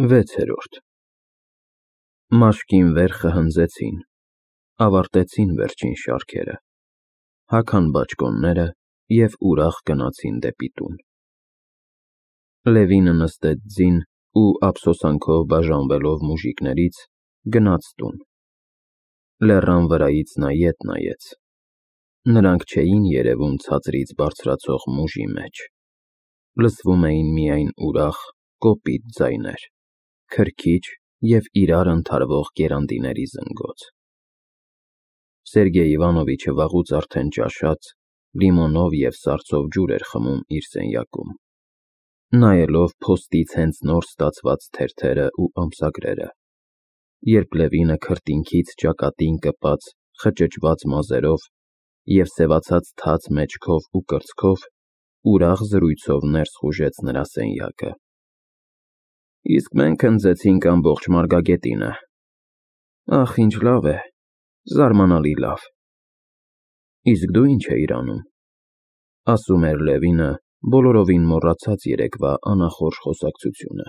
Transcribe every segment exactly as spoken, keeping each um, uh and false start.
Վեցերորդ Մաշկին վերխը հնձեցին, ավարտեցին վերջին շարքերը, հագան բաճկոնները և ուրախ գնացին դեպի տուն։ Լևինը նստեց ձին ու ափսոսանքով բաժանվելով մուժիկներից, գնաց տուն։ Լեռան վրայից նա ետ նայեց։ Նրանք չէին երևում ցածրից բարձրացող մուժի մեջ, լսվում էին միայն ուրախ, կոպիտ ձայներ, քրքիջ և իրար ընդհարվող գերանդիների զնգոց։ Սերգեյ Իվանովիչը վաղուց արդեն ճաշած, լիմոնով և սառցով ջուր էր խմում իր սենյակում, նայելով փոստից հենց նոր ստացված թերթերը ու ամսագրերը, երբ Լևինը քրտինքից ճակատին կպած խճճված մազերով և սևացած թաց մեջքով ու կրծքով ուրախ զրույցով ներս խուժեց նրա սենյակը։ Իսկ մենք հնձեցինք ամբողջ Մարգագետինը։ Ախ, ինչ լավ է, զարմանալի լավ։ Իսկ դու ինչ էիր անում, ասում էր Լևինը, բոլորովին մոռացած երեկվա անախորժ խոսակցությունը։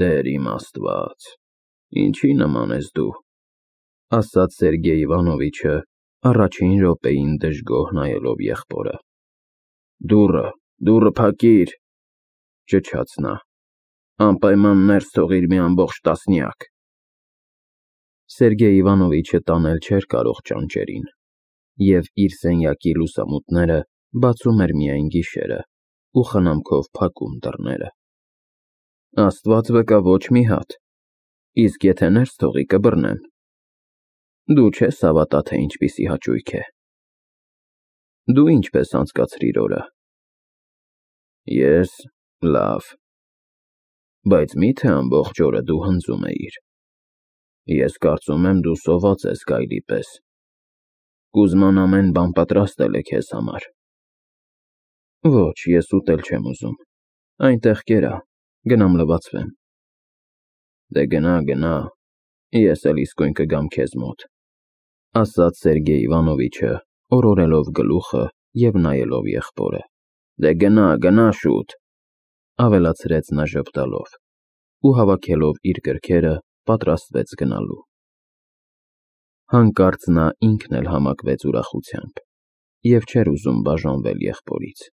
Տեր իմ Աստված, ինչի նման ես դու, ասաց Սերգեյ Իվանովիչը, առաջին րոպեին դժգոհ նայելով եղբորը։ Դուռը, դուռը փակիր, ճչաց նա, անպայման ներս թողիր մի ամբողջ տասնյակ։ Սերգեյ Իվանովիչը տանել չէր կարող ճանճերին, և իր սենյակի լուսամուտները բացում էր միայն գիշերը ու խնամքով փակում դռները։ Աստված վկա, ոչ մի հատ, իսկ եթե ներս թողի, կբռնեմ։ Դու չես հավատա, թե ինչպիսի հաճույք է։ Դու ինչպես անցկացրիր օրը։ Ես լավ։ Բայց մի՞թե ամբողջ օրը դու հնձում էիր։ Ես կարծում եմ, դու սոված ես գայլի պես։ Կուզման ամեն բան պատրաստել է քեզ համար։ Ոչ, ես ուտել չեմ ուզում, այնտեղ կերա, գնամ լվացվեմ։ Դե գնա, գնա, ես էլ իսկույն կգամ քեզ մոտ, ասաց Սերգեյ Իվանովիչը, օրորելով գլուխը և նայելով եղբորը։ Դե գնա, գնա շուտ, ավելացրեց նա ժպտալով, ու հավաքելով իր գրքերը, պատրաստվեց գնալու։ Հանկարծ նա ինքն էլ համակվեց ուրախությամբ և չէր ուզում բաժանվել եղբորից։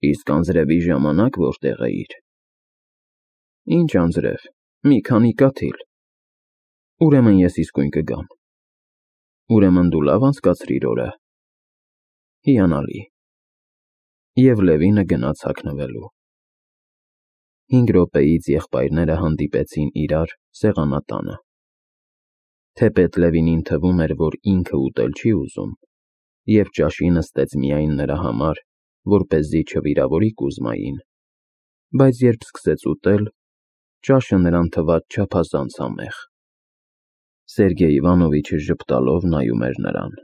Իսկ անձրևի ժամանակ որտեղ էիր։ Ինչ անձրև, մի քանի կաթիլ։ Ուրեմն ես իսկույն կգամ։ Ուրեմն դու լավ անցկացրիր օրը։ Հիանալի։ Եվ Լևինը գնաց հագնվելու։ Հինգ րոպեից եղբայրները հանդիպեցին իրար սեղանատանը։ Թեպետ Լևինին թվում էր, որ ինքը ուտել չի ուզում, և ճաշի նստեց միայն նրա համար, որպեսզի չվիրավորի Կուզմային, բայց երբ սկսեց ուտել, ճաշը նրան թվաց չափազանց համեղ։ Սերգեյ Իվանովիչը ժպտալով նայում էր նրան։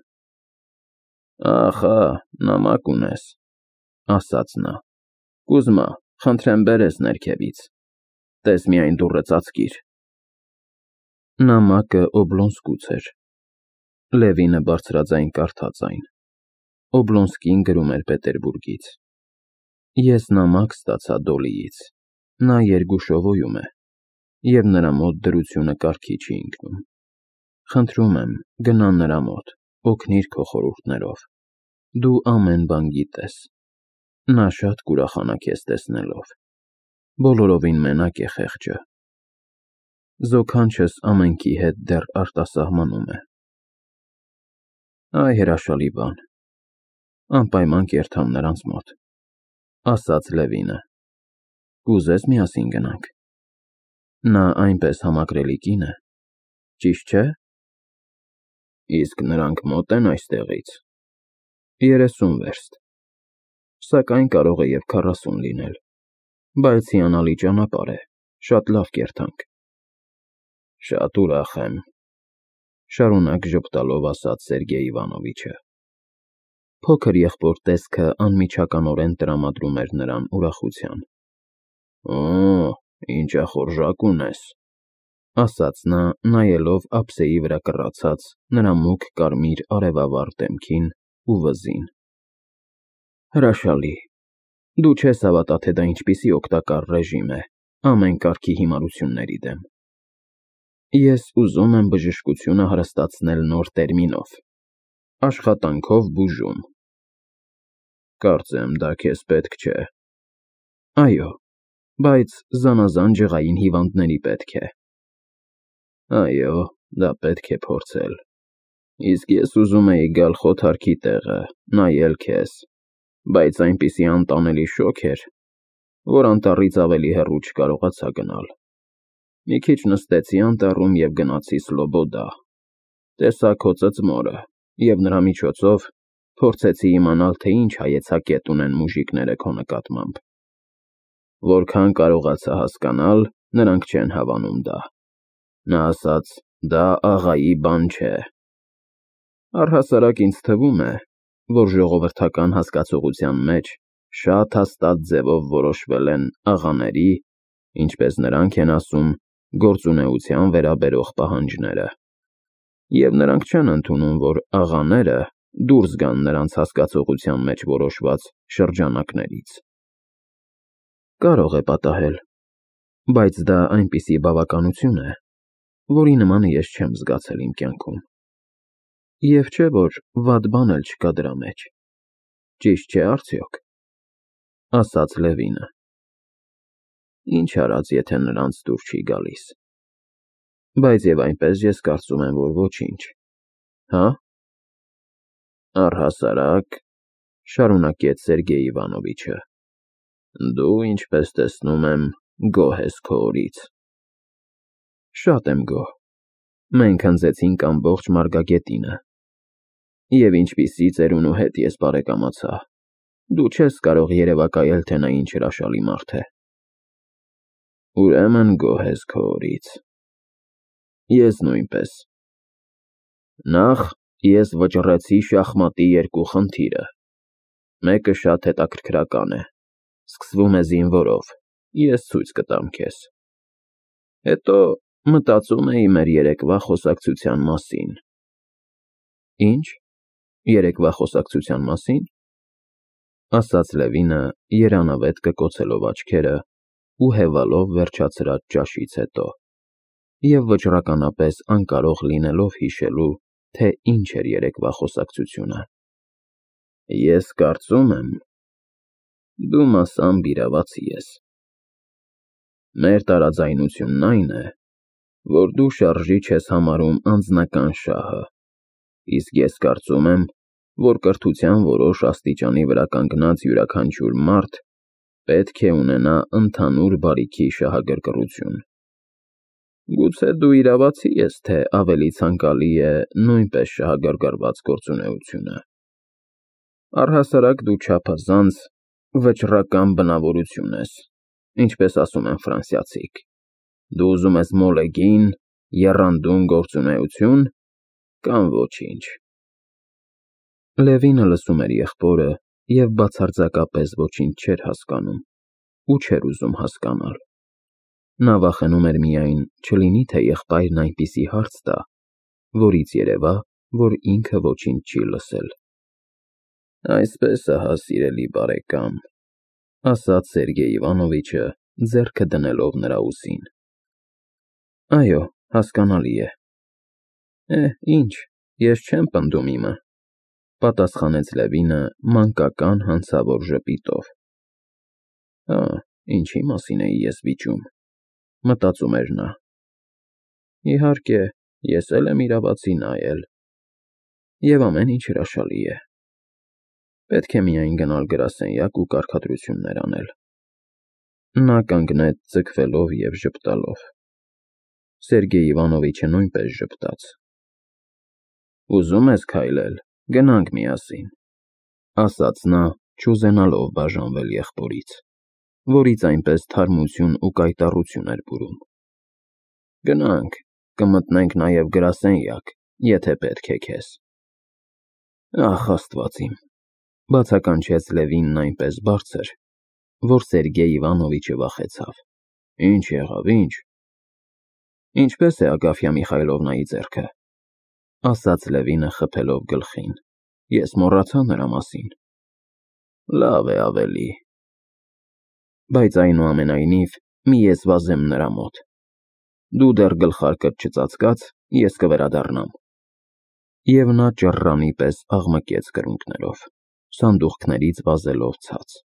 Ախա, նամակ ունես, ասաց նա։ Կուզմա, խնդրեմ բեր էս ներքևից, տես միայն դուռը ծածկիր։ Նամակը Օբլոնսկուց էր։ Լևինը բարձրաձայն կարդաց այն։ Օբլոնսկին գրում էր Պետերբուրգից։ Ես նամակ ստացա Դոլիից, նա Երգուշովոյում է, և նրա մոտ դրությունը կարգի չի ընկնում։ Խնդրում եմ, գնա նրա մոտ, օգնիր քո խորհուրդներով, դու ամեն բան գիտես։ Նա շատ կուրախանա քեզ տեսնելով։ Բոլորովին մենակ է խեղճը։ Զոքանչս ամենքի հետ դեռ արտասահմանում է։ Այ հրաշալի բան։ Անպայման կերթամ նրանց մոտ, ասաց Լևինը։ Կուզես միասին գնանք։ Նա այնպես համակրելի կին է, ճիշտ չէ։ Իսկ նրանք մոտ են այստեղից։ Երեսուն վերստ, սակայն կարող է և քառասուն լինել, բայց հիանալի ճանապարհ է, շատ լավ կերթանք։ Շատ ուրախ եմ, շարունակ ժպտալով ասաց Սերգեյ Իվանովիչը։ Փոքր եղբոր տեսքը անմիջականորեն տրամադրում էր նրան ուրախության։ Օ, ինչ ախորժակ ունես, ասաց նա, նայելով ափսեի վրա կռացած նրա մուգ կարմիր արևավառ դեմքին ու վզին։ Հրաշալի, դու չես հավատա, թե դա ինչպիսի օգտակար ռեժիմ է, ամեն կարգի հիմարությունների դեմ։ Ես ուզում եմ բժշկությունը հարստացնել նոր տերմինով, աշխատանքով բուժում։ Կարծեմ, դա քեզ պետք չէ։ Այո, բայց զանազան ջղային հիվանդների պետք է։ Այո, դա պետք է փորձել։ Իսկ ես ուզում էի գալ խոթարքի տեղը, նայել քեզ, բայց այնպիսի անտանելի շոգ էր, որ անտառից ավելի հեռու չկարողացա գնալ։ Մի քիչ նստեցի անտառում և գնացի Սլոբոդա, տեսա քո ծծմորը և նրա միջոցով փորձեցի իմանալ, թե ինչ հայեցակետ ունեն մուժիկները քո նկատմամբ։ Որքան կարողացա հասկանալ, նրանք չեն հավանում դա։ Նա ասաց, դա աղայի բան չէ։ Առհասարակ ինձ թվում է, որ ժողովրդական հասկացողության մեջ շատ հաստատ ձևով որոշվել են աղաների, ինչպես նրանք են ասում, գործունեության վերաբերող պահանջները, և նրանք չեն ընդունում, որ աղաները դուրս գան նրանց հասկացողության մեջ որոշված շրջանակներից։ Կարող է պատահել, բայց դա այնպիսի բավականություն է, որի նմանը ես չեմ զգացել իմ կյանքում։ Եվ չէ, որ վատ բան էլ չկա դրա մեջ, ճիշտ չէ՞ արդյոք, ասաց Լևինը։ Ինչ արած, եթե նրանց դուր չի գալիս։ Բայց և այնպես ես կարծում եմ, որ ոչինչ, հա՞։ Առհասարակ, շարունակեց Սերգեյ Իվանովիչը, դու, ինչպես տեսնում եմ, գոհ ես քո օրից։ Շատ եմ գոհ։ Մենք հնձեցինք ամբողջ Մարգագետինը։ Եվ ինչպիսի ծերունու հետ ես բարեկամացա, դու չես կարող երևակայել, թե նա ինչ հրաշալի մարդ է։ Ուրեմն գոհ ես քո օրից։ Ես նույնպես։ Նախ ես վճռեցի շախմատի երկու խնդիրը։ Մեկը շատ հետաքրքրական է, սկսվում է զինվորով, ես ցույց կտամ քեզ։ Հետո մտածում էի մեր երեկվա խոսակցության մասին։ Ինչ, երեկվա խոսակցության մասին, ասաց Լևինը, երանավետ կկոցելով աչքերը ու հևալով վերջացրած ճաշից հետո, և վճռականապես անկարող լինելով հիշելու, թե ինչ էր երեկվա խոսակցությունը։ Ես կարծում եմ, դու մասամբ իրավացի ես։ Մեր տարաձայնությունն այն է, որ դու շարժիչ ես համարում անձնական շահը, իսկ ես կարծում եմ, որ կրթության որոշ աստիճանի վրա կանգնած յուրաքանչյուր մարդ պետք է ունենա ընդհանուր բարիքի շահագրգռություն։ Գուցե դու իրավացի ես, թե ավելի ցանկալի է նույնպես շահագրգռված գործունեությունը։ Առհասարակ դու չափազանց վճռական բնավորություն ես, ինչպես ասում են ֆրանսիացիք։ Դու ուզում ես մոլեգին, եռանդուն գործունեություն կամ ոչինչ։ Լևինը լսում էր եղբորը և բացարձակապես ոչինչ չէր հասկանում ու չէր ուզում հասկանալ։ Նա վախենում էր միայն, չլինի թե եղբայրն այնպիսի հարց տա, որից երևա, որ ինքը ոչինչ չի լսել։ Այսպես ահա, սիրելի բարեկամ, ասաց Սերգեյ Իվանովիչը, ձեռքը դնելով նրա ուսին։ Այո, հասկանալի է։ Է, ինչ, ես չեմ պնդում իմը, պատասխանեց Լևինը մանկական հանցավոր ժպիտով։ Հա, ինչի մասին էի ես վիճում, մտածում էր նա։ Իհարկե, ես էլ եմ իրավացի, նա էլ։ Եվ ամեն ինչ հրաշալի է։ Պետք է միայն գնալ գրասենյակ ու կարգադրություններ անել։ Նա կանգնեց ձգվելով և ժպտալով։ Սերգեյ Իվանովիչը նույնպես ժպտաց։ Ուզում ես քայլել, գնանք միասին, ասաց նա, չուզենալով բաժանվել եղբորից, որից այնպես թարմություն ու կայտառություն էր բուրում։ Գնանք, կմտնենք նաև գրասենյակ, եթե պետք է քեզ։ Ախ, Աստված իմ, բացականչեց Լևինն այնպես բարձր, որ Սերգեյ Իվանովիչը վախեցավ։ Ինչ եղավ, ինչ։ Ինչպես է Ագաֆյա Միխայլովնայի ձեռքը, ասաց Լևինը խփելով գլխին, ես մոռացա նրա մասին։ Լավ է ավելի։ Բայց այնուամենայնիվ մի ես վազեմ նրա մոտ։ Դու դեռ գլխարկդ չծածկած, ես կվերադառնամ։ Եվ նա ճռռանի պես աղմկեց կրունկներով, սանդուղքներից վազելով ցած։